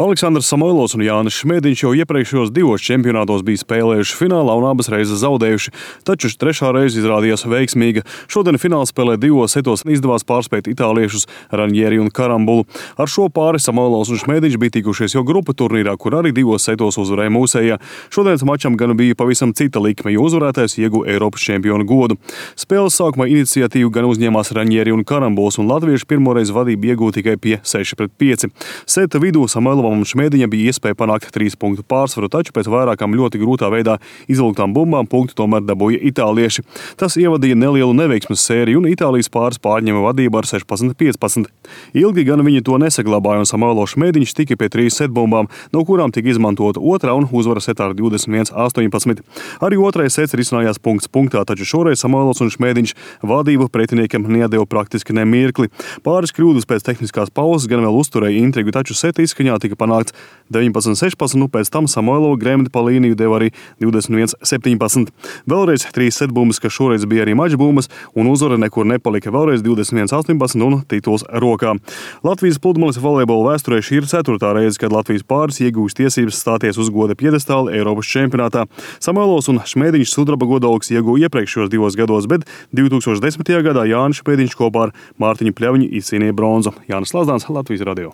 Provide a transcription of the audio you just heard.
Aleksandrs Samoilovs un Jānis Šmēdiņš jau iepriekšējos divos čempionātos bija spēlējuši finālā un abas reizes zaudējuši, taču trešā reize izrādījās veiksmīga. Šodien finālspēlē divos setos izdevās pārspēt itāliešus Ranieri un Karambulu. Ar šo pāri Samoilovs un Šmēdiņš bija tikušies jau grupu turnīrā, kur arī divos setos uzvarēja mūsējā. Šodienas mačam gan bija pavisam cita likme, jo uzvarētājs ieguva Eiropas čempionu godu. Spēles sākumā iniciatīvu gan uzņēmās Ranieri un Karambuls, un latvieši pirmoreiz vadību iegūta tikai pie 6-5. Seta vidū Samoilovam un Šmēdiņam bija iespēja panākt 3 punktu pārsvaru, taču pēc vairākām ļoti grūtā veidā izvilktām bumbām punktu tomēr dabūja itālieši. Tas ievadīja nelielu neveiksmes sēriju, un Itālijas pāris pārņēma vadību ar 16-15. Ilgi gan viņi to nesaglabāja, un Samoilovs Šmēdiņš tika pie 3 setbumbām, no kurām tika izmantota otrā un uzvara setā ar 21-18. Arī otrais sets risinājās punkts punktā, taču šoreiz Samoilovs un Šmēdiņš vadību pretiniekam nedeva praktiski ne mirkli. Pāris kļūdas pēc tehniskās pauzes gan vēl uzturēja intrigu, taču seta izskaņā tika panākts 19-16, un pēc tam Samoilova gremdi pa līniju deva arī 21-17. Vēlreiz 3 setbumbas, kas šoreiz bija arī mačbumbas, un uzvara nekur nepalika, vēlreiz 21-18 un tituls rokā. Latvijas pludmales volejbola vēsturē šī ir 4. reize, kad Latvijas pāris iegūst tiesības stāties uz goda piedestāla Eiropas čempionātā. Samoilovs un Šmēdiņš sudraba godalgus ieguva iepriekšējos 2 gados, bet 2010. gadā Jānis Šmēdiņš kopā ar Mārtiņu Pļaviņu izcīnīja bronzu. Jānis Lazdāns, Latvijas radio.